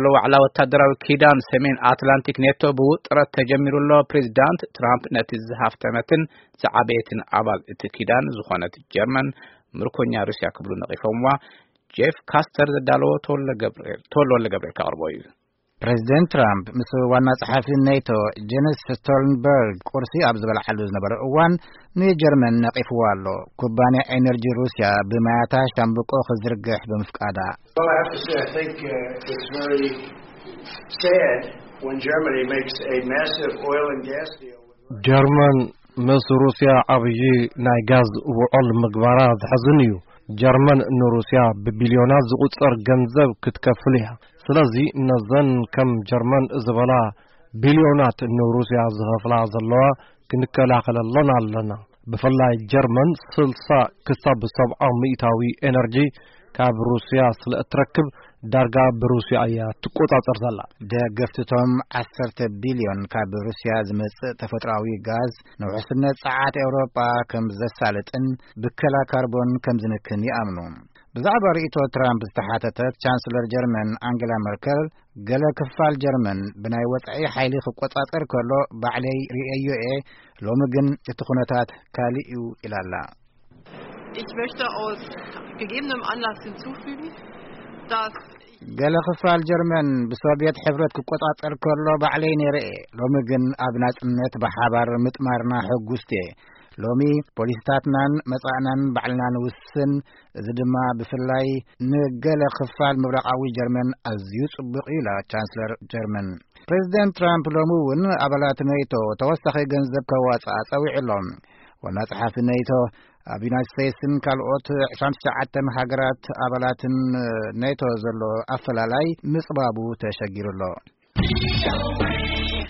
ሎ ዋዕላ ወታደራዊ ኪዳን ሰሜን ኣትላንቲክ ኔቶ ብውጥረት ተጀሚሩ ኣሎ። ፕሬዚዳንት ትራምፕ ነቲ ዝሃፍተመትን ዝዓበየትን ኣባል እቲ ኪዳን ዝኾነት ጀርመን ምርኮኛ ሩስያ ክብሉ ነቒፎምዋ። ጄፍ ካስተር ዘዳለዎ ተወልደ ገብርኤል፣ ተወልደ ወልደ ገብርኤል ከቕርቦ እዩ። ፕሬዚደንት ትራምፕ ምስ ዋና ጸሓፊ ኔቶ ጀንስ ስቶልንበርግ ቁርሲ ኣብ ዝበልዓሉ ዝነበረ እዋን ንጀርመን ነቒፍዋ ኣሎ። ኩባንያ ኤነርጂ ሩስያ ብማያታ ሻምብቆ ክዝርግሕ ብምፍቃዳ። Well, I have to say, I think uh, it's very sad when Germany makes a massive oil and gas deal with Russia. ጀርመን ምስ ሩስያ ዓብዪ ናይ ጋዝ ውዕል ምግባራ ዘሕዝን እዩ። ጀርመን ንሩስያ ብቢልዮናት ዝቑጸር ገንዘብ ክትከፍል እያ። ስለዚ ነዘን ከም ጀርመን ዝበላ ቢልዮናት ንሩስያ ዝኸፍላ ዘለዋ ክንከላኸለለን ኣለና። ብፍላይ ጀርመን ስልሳ ክሳብ ሰብዓ ሚእታዊ ኤነርጂ ካብ ሩስያ ስለ እትረክብ ዳርጋ ብሩስያ እያ ትቆጻጸር ዘላ። ደገፍትቶም ዓሰርተ ቢልዮን ካብ ሩስያ ዝመጽእ ተፈጥሮኣዊ ጋዝ ንውሕስነት ጸዓት ኤውሮጳ ከም ዘሳልጥን ብከላ ካርቦን ከም ዝንክን ይኣምኑ። ብዛዕባ ርእይቶ ትራምፕ ዝተሓተተት ቻንስለር ጀርመን ኣንጌላ መርከል፣ ገለ ክፋል ጀርመን ብናይ ወጻኢ ሓይሊ ክቆጻጸር ከሎ ባዕለይ ርእየዮ እየ፣ ሎሚ ግን እቲ ኩነታት ካልእ እዩ ኢላላ። Ich möchte aus gegebenem Anlass hinzufügen, dass ገለ ክፋል ጀርመን ብሶቪየት ሕብረት ክቆጻጸር ከሎ ባዕለይ ነይረ እየ። ሎሚ ግን ኣብ ናጽነት ብሓባር ምጥማርና ሕጉስቲ እየ። ሎሚ ፖሊሲታትናን መጻእናን ባዕልና ንውስን። እዚ ድማ ብፍላይ ንገለ ክፋል ምብራቓዊ ጀርመን ኣዝዩ ጽቡቕ እዩ ኢላ ቻንስለር ጀርመን። ፕሬዚደንት ትራምፕ ሎሚ እውን ኣባላት ኔቶ ተወሳኺ ገንዘብ ከዋጽኣ ጸዊዑ ኣሎ። ዋና ጸሓፊ ኔቶ ኣብ ዩናይትድ ስቴትስን ካልኦት ዕስራን ትሽዓተን ሃገራት ኣባላትን ኔቶ ዘሎ ኣፈላላይ ምጽባቡ ተሸጊሩ ኣሎ።